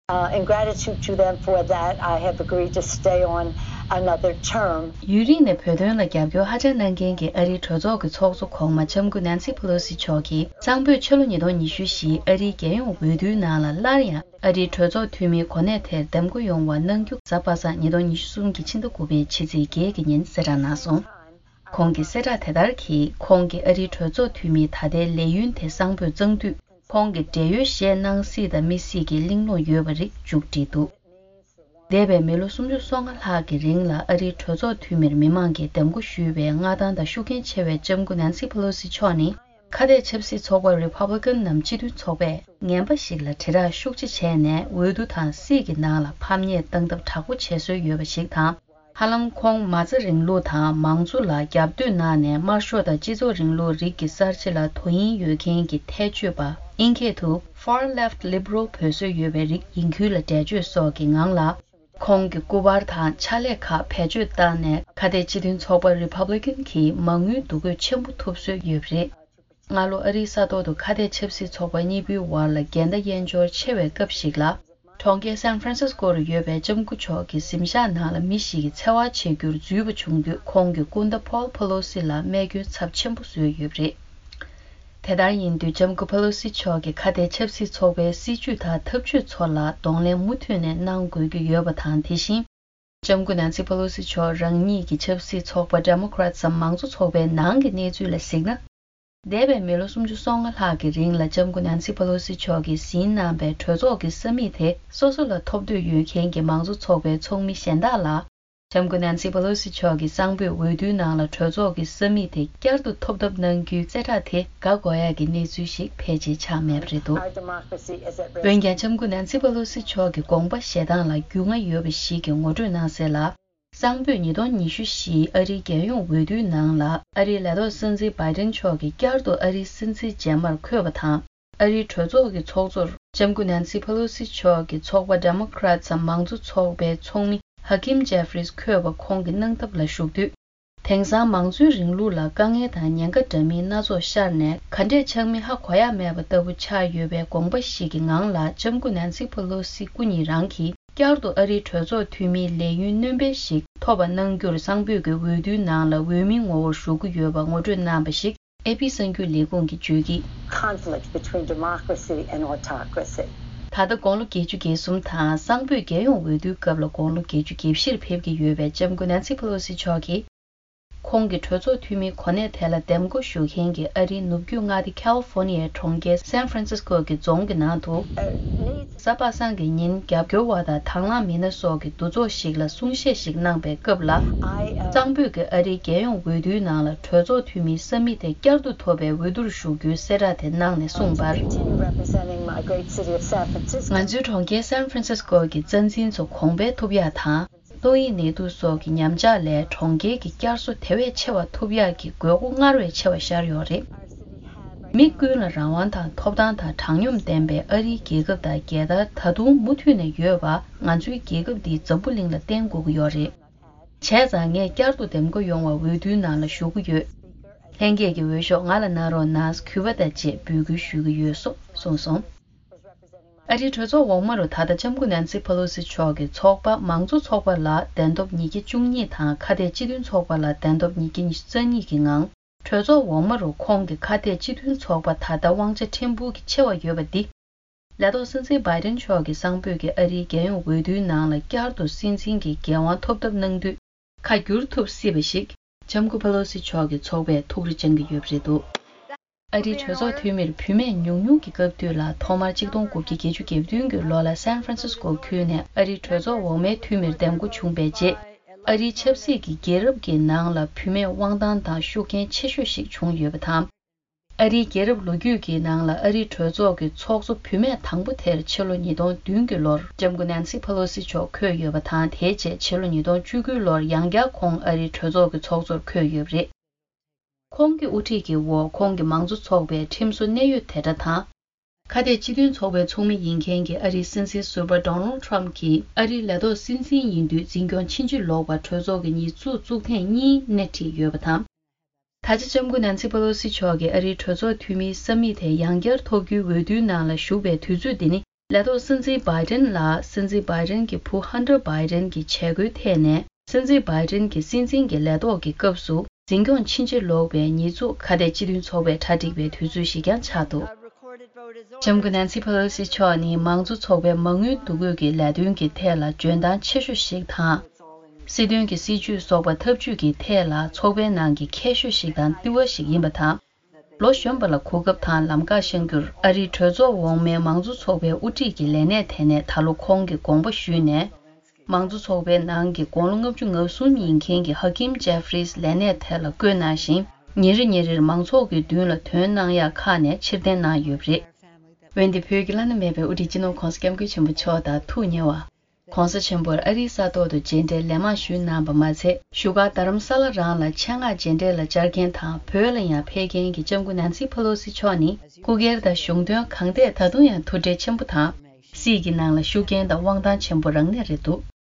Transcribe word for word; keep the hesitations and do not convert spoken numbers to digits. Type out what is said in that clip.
Uh, in gratitude to them for that, I have agreed to stay on another term. ཡུན་རིང་ནས་བོད་དོན་ལ་རྒྱབ་སྐྱོར་ཧ་ཅང་གནང་མཁན་གྱི་ཨ་རིའི་གྲོས་ཚོགས་ཀྱི་ཚོགས་གཙོ་གོང་མ་ལྕམ་སྐུ་ནན་སི་ཕེ་ལོ་སི་མཆོག་གིས་གཙང་པོས་ཕྱི་ལོ་ཉིས་སྟོང་ཉི་ཤུ་བཞིའི་ཨ་རིའི་རྒྱལ་ཡོངས་འོས་བསྡུའི་ནང་ལ་སླར་ཡང་ཨ་རིའི་གྲོས་ཚོགས་འཐུས་མིའི་གོ་གནས་དེར་འདེམས་བསྐོ་ཡོང་བ་གནང་རྒྱུ་གཟའ་པ་སངས་ཉིས་སྟོང་ཉི་ཤུ་གསུམ་གྱི་ཕྱི་ཟླ་དགུ་པའི་ཕྱི་ཚེས་བརྒྱད་ཀྱི་ཉིན་གསལ་བསྒྲགས་གནང་སོང་། ཁོང་གིས་གསལ་བསྒྲགས་དེ་ལྟར་གྱིས། ཁོང་གིས་ཨ་རིའི་གྲོས་ཚོགས་འཐུས་མིའི་ད་ལྟའི་ལས་ཡུན་དེ་གཙང་པོས་གཙང་དུས། ཁོང་གིས་བགྲེས་ཡོལ་བཞེས་གནང་སྲིད་དང་མི་སྲིད་ཀྱི་གླེང་སློང་ཡོད་པ་རིགས་མཇུག་བསྒྲིལ་འདུག་འདས་པའི་མི་ལོ་སུམ་ཅུ་སོ་ལྔ་ལྷག་གི་རིང་ལ་ཨ་རིའི་གྲོས་ཚོགས་འཐུས་མིར་མི་མང་གིས་འདེམས་བསྐོ་ཞུས་པའི་མངའ་ཐང་དང་ཤུགས་རྐྱེན་ཆེ་བའི་ལྕམ་སྐུ་ནན་སི་ཕེ་ལོ་སི་མཆོག་ནི། ཁ་གཏད་ཆབ་སྲིད་ཚོགས་པ་Republican ནམ་སྤྱི་མཐུན་ཚོགས་པས་ངན་པ་ཞིག་ལ་དྲིལ་བསྒྲགས་ཤུགས་ཆེ་བྱས་ནས་འོས་བསྡུ་དང་སྲིད་ཀྱི་ནང་ལ་ཕམ་ཉེས་བཏང་ཐབས་དྲག་པོ་བྱེད་སྲོལ་ཡོད་པ་ཞིག་དང་། ཧ་ལམ་ཁོང་མ་རྩ་རིང་ལུགས་དང་མང་གཙོ་ལ་རྒྱབ་གཏོད་གནང་ནས་དམར་ཤོག་དང་སྤྱི་ཚོགས་རིང་ལུགས་རིགས་ཀྱི་གསར་བརྗེ་ལ་དོ་དབྱིངས་ཡོད་མཁན་གྱི་ཐལ་ཆོས་པ། ཨིན་སྐད་དུ་Far Left Liberal འབོད་སྲོལ་ཡོད་པའི་རིགས་ཡིན་ཁུལ་ལ་འགྲེལ་བརྗོད་སོགས་ཀྱི་ངང་ལ། ཁོང་གི་སྐུ་པར་དང་ཕྱག་ལས་ཁག་བེད་སྤྱོད་བཏང་ནས་ཁ་གཏད་སྤྱི་མཐུན་ཚོགས་པ་Republican གྱིས་མ་དངུལ་འདུ་འགོད་ཆེན་པོ་ཐོབ་སྲོལ་ཡོད་པ་རེད། སྔ་ལོ་ཨ་རིའི་ས་ཐོག་ཏུ་ཁ་གཏད་ཆབ་སྲིད་ཚོགས་པ་གཉིས་པོའི་བར་ལ་འགལ་ཟླ་དབྱེན་སྦྱོར་ཆེ་བའི་སྐབས་ཤིག་ལ། གྲོང་ཁྱེར་San Francisco རུ་ཡོད་པའི་ལྕམ་སྐུ་མཆོག་གི་གཟིམ་ཤག་ནང་ལ་མི་ཞིག་གིས་འཚེ་བ་བྱེད་རྒྱུར་འཛུལ་བ་བྱུང་དུས། ཁོང་གི་སྐུ་ཟླ་Paul Pelosi ལ་རྨས་སྐྱོན་ཚབས་ཆེན་པོ་བཟོས་ཡོད་པ་རེད། དེ་ལྟར་ཡིན་དུས། ལྕམ་སྐུ་Pelosi མཆོག་གིས་ཁ་གཏད་ཆབ་སྲིད་ཚོགས་པའི་སྲིད་བྱུས་དང་ཐབས་ཇུས་ཚོ་ལ་གདོང་ལེན་མུ་མཐུད་ནས་གནང་དགོས་ཀྱི་ཡོད་པ་དང་། དེ་བཞིན། ལྕམ་སྐུ་Nancy Pelosi མཆོག་རང་ཉིད་ཀྱི་ཆབ་སྲིད་ཚོགས་པ་Democrats འམ་མང་གཙོ་ཚོགས་པའི་ནང་གི་གནས་ཚུལ་ལ་གཟིགས་ན། འདས་པའི་མི་ལོ་སུམ་ཅུ་སོ་ལྔ་ལྷག་གི་རིང་ལ་ལྕམ་སྐུ་Nancy Pelosi མཆོག་གིས་ཟིན་གནང་པའི་གྲོས་ཚོགས་ཀྱི་ས་མིག་དེ་སོ་སོ་ལ་ཐོབ་འདོད་ཡོད་མཁན་གྱི་མང་གཙོ་ཚོགས་པའི་ཚོགས་མི་གཞན་དག་ལ། ལྕམ་སྐུ་Nancy Pelosi མཆོག་གིས་གཙང་པོས་འོས་བསྡུའི་ནང་ལ་གྲོས་ཚོགས་ཀྱི་ས་མིག་དེ་བསྐྱར་དུ་ཐོབ་ཐབས་གནང་རྒྱུའི་གསལ་བསྒྲགས་དེ་དགའ་དགོས་ཡག་གི་གནས་ཚུལ་ཞིག་ཕལ་ཆེར་ཆགས་མེད་པ་རེད་འདུག་འོན་ཀྱང་། ལྕམ་སྐུ་Nancy Pelosi མཆོག་གི་དགོངས་པ་བཞེས་སྟངས་ལ་རྒྱུས་མངའ་ཡོད་པ་ཞིག་གིས་ངོ་སྤྲོད་གནང་གསལ་ལ། གཙང་པོས་ཉིས་སྟོང་ཉི་ཤུ་བཞིའི་ཨ་རིའི་རྒྱལ་ཡོངས་འོས་བསྡུའི་ནང་ལ་ཨ་རིའི་ལས་ཐོག་སྲིད་འཛིན་Biden མཆོག་གིས་བསྐྱར་དུ་ཨ་རིའི་སྲིད་འཛིན་རྗེས་མར་འཁོད་པ་དང་། ཨ་རིའི་གྲོས་ཚོགས་ཀྱི་ཚོགས་གཙོར་ལྕམ་སྐུ་Nancy Pelosi མཆོག་གི་ཚོགས་པ་Democrats འམ་མང་གཙོ་ཚོགས་པའི་ཚོགས་མི་Hakeem Jeffries འཁོད་པ་ཁོང་གིས་གནང་ཐབས་ལ་ཞུགས་དུས། དེང་སང་མང་གཙོའི་རིང་ལུགས་ལ་དཀའ་ངལ་དང་ཉེན་ཁ་འདྲ་མིན་སྣ་ཚོགས་ཤར་ནས། ག་འདྲས་ཆགས་མིན་ཧ་གོ་ཡ་མེད་པ་ལྟ་བུ་ཆགས་ཡོད་པའི་དགོངས་པ་ཞིག་གི་ངང་ལ། ལྕམ་སྐུ་Nancy Pelosi སྐུ་ཉིད་རང་གིས་བསྐྱར་དུ་ཨ་རིའི་གྲོས་ཚོགས་འཐུས་མིའི་ལས་ཡུན་སྣོན་སྤེལ་ཞིག་ཐོབ་པ་གནང་རྒྱུར། གཙང་པོས་ཀྱི་འོས་བསྡུའི་ནང་ལ་འོས་མིའི་ངོ་བོར་ཞུགས་ཀྱི་ཡོད་པ་ངོ་སྤྲོད་གནང་པ་ཞིག་ཨེ་པི་གསར་འགྱུར་ལས་ཁུངས་ཀྱིས་བརྗོད་ཀྱིས། Conflict between democracy and autocracy. ད་ལྟ་དགུང་ལོ་བརྒྱད་ཅུ་གྱ་གསུམ་དང་། གཙང་པོས་རྒྱལ་ཡོངས་འོས་བསྡུའི་སྐབས་ལ་དགུང་ལོ་བརྒྱད་ཅུ་གྱ་བཞིར་ཕེབས་ཀྱི་ཡོད་པའི་ལྕམ་སྐུ་Nancy Pelosi མཆོག་གིས། ཁོང་གིས་གྲོས་ཚོགས་འཐུས་མིའི་གོ་གནས་དེ་ལ་འདེམས་བསྐོ་ཞུ་མཁན་གྱི་ཨ་རིའི་ནུབ་རྒྱུད་མངའ་སྡེ་California ཡའི་གྲོང་ཁྱེར་San Francisco གྱི་རྫོང་གི་ནང་དུ། གཟའ་པ་སངས་ཀྱི་ཉིན། རྒྱབ་སྐྱོར་བ་དང་དང་བླངས་མི་སྣ་སོགས་ཀྱི་འདུ་ཚོགས་ཤིག་ལ་གསུང་བཤད་ཞིག་གནང་པའི་སྐབས་ལ། གཙང་པོས་ཀྱི་ཨ་རིའི་རྒྱལ་ཡོངས་འོས་བསྡུའི་ནང་ལ་གྲོས་ཚོགས་འཐུས་མིའི་ས་མིག་དེ་བསྐྱར་དུ་ཐོབ་པའི་འོས་བསྡུར་ཞུགས་རྒྱུའི་གསལ་བསྒྲགས་དེ་གནང་ནས་གསུངས་པར། ང་ཚོའི་གྲོང་ཁྱེར་San Francisco གྱི་རྩ་འཛིན་ཚོ་གོང་འཕེལ་ཐུབ་ཡག་དང་། ཏོག་དབྱིབས་ནད་དུག་སོགས་ཀྱི་ཉམས་ཆག་ལས་གྲོང་ཁྱེར་གྱི་བསྐྱར་གསོ་དེ་བས་ཆེ་བ་ཐུབ་ཡག་གི་དགོས་མཁོ་སྔར་བས་ཆེ་བ་ཤར་ཡོད་རེད། མི་ཀུན་ལ་རང་དབང་དང་ཐོབ་ཐང་དང་དྲང་སྙོམས་ལྡན་པའི་ཨ་རིའི་རྒྱལ་ཁབ་དང་རྒྱལ་དར་ད་དུང་མུ་མཐུད་ནས་ཡོད་པ། ང་ཚོའི་རྒྱལ་ཁབ་འདིའི་འཛམ་བུ་གླིང་ལ་བསྟན་དགོས་ཀྱི་ཡོད་རེད། བྱས་ཙང་ངས་བསྐྱར་དུ་འདེམས་བསྐོ་ཡོང་བར་འོས་བསྡུའི་ནང་ལ་ཞུགས་ཀྱི་ཡོད། ལྷན་རྒྱས་ཀྱི་འོས་ཤོག་ང་ལ་གནང་རོགས་གནང་། གུས་པ་དང་བཅས་འབོད་སྐུལ་ཞུ་གི་ཡོད། སོགས་གསུངས་སོང་། ཨ་རིའི་གྲོས་ཚོགས་འོག་མ་རུ་ད་ལྟ་ལྕམ་སྐུ་ནན་སི་ཕེ་ལོ་སི་མཆོག་གི་ཚོགས་པ་མང་གཙོ་ཚོགས་པ་ལ་གདན་ཐོབ་ཉིས་བརྒྱ་བཅུ་གཉིས་དང་། ཁ་གཏད་སྤྱི་མཐུན་ཚོགས་པ་ལ་གདན་ཐོབ་ཉིས་བརྒྱ་ཉི་ཤུ་རྩ་གཉིས་ཀྱི་ངང་། གྲོས་ཚོགས་འོག་མ་རུ་ཁོང་གི་ཁ་གཏད་སྤྱི་མཐུན་ཚོགས་པ་ད་ལྟ་དབང་ཆ་ཕྲན་བུ་གིས་ཆེ་བ་ཡོད་པ་འདི། ལས་ཐོག་སྲིད་འཛིན་བྷའི་ཌེན་མཆོག་གིས་གཙང་པོད་ཀྱི་ཨ་རིའི་རྒྱལ་ཡོངས་འོས་བསྡུའི་ནང་ལ་བསྐྱར་དུ་སྲིད་འཛིན་གྱི་འགན་དབང་ཐོབ་ཐབས་གནང་དུས་ཁ་བསྒྱུར་ཐུབ་སྲིད་པ་ཞིག་ལྕམ་སྐུ་ཕེ་ལོ་སི་མཆོག་གི་ཚོགས་པས་ཐུགས་རེ་བཅངས་ཀྱི་ཡོད་པ་རེད་འདུག་ཨ་རིའི་གྲོས་ཚོགས་འཐུས་མིར་བུད་མེད་ཉུང་ཉུང་གི་སྐབས་དུས་ལ། ཐོག་མར་གཅིག་སྟོང་དགུ་བརྒྱ་བརྒྱད་ཅུ་གྱ་བདུན་གྱི་ལོ་ལ་སན་ཧྥ་རན་སིས་ཀོ་ཁུལ་ནས་ཨ་རིའི་གྲོས་ཚོགས་འོག་མའི་འཐུས་མིར་འདེམས་བསྐོ་བྱུང་བའི་རྗེས། ཨ་རིའི་ཆབ་སྲིད་ཀྱི་རྒྱལ་རབས་ཀྱི་ནང་ལ་བུད་མེད་དབང་ཐང་དང་ཤུགས་རྐྱེན་ཆེ་ཤོས་ཤིག་བྱུང་ཡོད་པ་དང་། ཨ་རིའི་རྒྱལ་རབས་ལོ་རྒྱུས་ཀྱི་ནང་ལ་ཨ་རིའི་གྲོས་ཚོགས་ཀྱི་ཚོགས་གཙོ་བུད་མེད་དང་པོ་དེར་ཕྱི་ལོ་ཉིས་སྟོང་བདུན་གྱི་ལོར་ལྕམ་སྐུ་ནན་སི་ཕེ་ལོ་སི་མཆོག་འཁོད་ཡོད་པ་དང་། དེའི་རྗེས་ཕྱི་ལོ་ཉིས་སྟོང་བཅུ་དགུ་ལོར་ཡང་བསྐྱར་ཁོང་ཨ་རིའི་གྲོས་ཚོགས་ཀྱི་ཚོགས་གཙོར་འཁོད་ཡོད་པ་རེད། ཁོང་གི་དབུ་ཁྲིད་ཀྱི་འོག་ཁོང་གི་མང་གཙོ་ཚོགས་པའི་ཁྲིམས་བཟོ་གནད་ཡོད་དེ་འདྲ་དང་། ཁ་གཏད་སྤྱི་མཐུན་ཚོགས་པའི་ཚོགས་མི་ཡིན་མཁན་གྱི་ཨ་རིའི་སྲིད་འཛིན་ཟུར་པ་ཌོ་ནལ་ཊམ་གྱིས་ཨ་རིའི་ལས་ཐོག་སྲིད་འཛིན་ཡིན་དུས་འཛིན་སྐྱོང་ཕྱིན་ཅི་ལོག་པར་གྲོས་ཚོགས་ཀྱི་ཉིས་བཙུགས་བཙུགས་ཐེངས་གཉིས་སྣེ་ཁྲིད་ཡོད་པ་དང་། ད་ཆ་ལྕམ་སྐུ་ནན་སི་ཕེ་ལོ་སི་མཆོག་གིས་ཨ་རིའི་གྲོས་ཚོགས་འཐུས་མིའི་ས་མིག་དེ་ཡང་བསྐྱར་ཐོབ་རྒྱུའི་འོས་བསྡུའི་ནང་ལ་ཞུགས་པའི་དུས་ཚོད་འདི་ནི་ ལས་ཐོག་སྲིད་འཛིན་བྷའི་ཏིན་ལ་སྲིད་འཛིན་བྷའི་ཏིན་གྱི་བུ་ཧན་ཏར་བྷའི་ཏིན་གྱི་བྱེད་སྒོའི་ཐད་ནས་སྲིད་འཛིན་བྷའི་ཏིན་གྱི་སྲིད་འཛིན་གྱི་ལས་ཐོག་གི་སྐབས་སུ་འཛིན་སྐྱོང་ཕྱིན་ཆད་ལོག་པའི་ཉེས་འཛུགས་ཁ་གཏད་སྤྱི་མཐུན་ཚོགས་པས་གྲ་སྒྲིག་པའི་དུས་ཚོད་ཞིག་ཀྱང་ཆགས་འདུག་ལྕམ་སྐུ་ནན་སི་ཕེ་ལོ་སི་མཆོག་ནི་མང་གཙོ་ཚོགས་པའི་མ་དངུལ་འདུ་འགོད་ཀྱི་ལས་དོན་གྱི་ཐད་ལ་འཇོན་ཐང་ཆེ་ཤོས་ཤིག་དང་། སྲིད་དོན་གྱི་སྲིད་ཇུས་སོགས་པ་ཐབས་ཇུས་ཀྱི་ཐད་ལ་ཚོགས་པའི་ནང་གི་མཁས་ཤོས་ཤིག་དང་ལྟེ་བ་ཞིག་ཡིན་པ་དང་། ལོ་གཞོན་པ་ལ་གོ་སྐབས་དང་ལམ་ཁ་གཤམ་གྱུར་ཨ་རིའི་གྲོས་ཚོགས་འོག་མའི་མང་གཙོ་ཚོགས་པའི་དབུ་ཁྲིད་ཀྱི་ལས་གནས་དེ་ནས་ད་ལོ་ཁོང་གིས་དགོངས་པ་ཞུས་ནས། མང་གཙོ་ཚོགས་པའི་ནང་གི་དགུང་ལོ་ལྔ་བཅུ་ང་གསུམ་ཡིན་མཁན་གྱི་ཧ་ཀིམ་ཇེ་ཧྥི་རིས་ལས་གནས་དེ་ལ་བསྐོས་གནང་ཞིང་། ཉིན་རེ་ཉིན་རེར་མང་ཚོགས་ཀྱི་མདུན་ལ་ཐོན་གནང་ཡག་ཁག་ནས་ཕྱིར་འཐེན་གནང་ཡོད་པ་རེད། འོན་ཏེ་བོད་ཀྱི་བླ་ན་མེད་པའི་དབུ་ཁྲིད་སྤྱི་ནོར་༧གོང་ས་༧སྐྱབས་མགོན་ཆེན་པོ་མཆོག་དང་ཐུགས་ཉེ་བ། ༧གོང་ས་ཆེན་པོར་ཨ་རིའི་ས་ཐོག་ཏུ་མཇལ་འཕྲད་ལན་མང་ཞུས་གནང་བ་མ་ཚད། བཞུགས་སྒར་རྡ་རམ་ས་ལ་རང་ལ་ཆེད་མངགས་མཇལ་འཕྲད་ལ་བཅར་མཁན་དང་བོད་ལ་ཡང་ཕེབས་མཁན་གྱི་ལྕམ་སྐུ་ནན་སི་ཕེ་ལོ་སི་མཆོག་ནི་སྐུ་སྒེར་དང་གཞུང་དོན་གང་ཐད་ད་དུང་ཡང་ཐུགས་ཁྲལ་ཆེན་པོ་དང་། སྲིད་ཀྱི་ནང་ལ་ཤུགས་རྐྱེན་དང་དབང་ཐང་ཆེན་པོ་རང་གནས་རེད་འདུག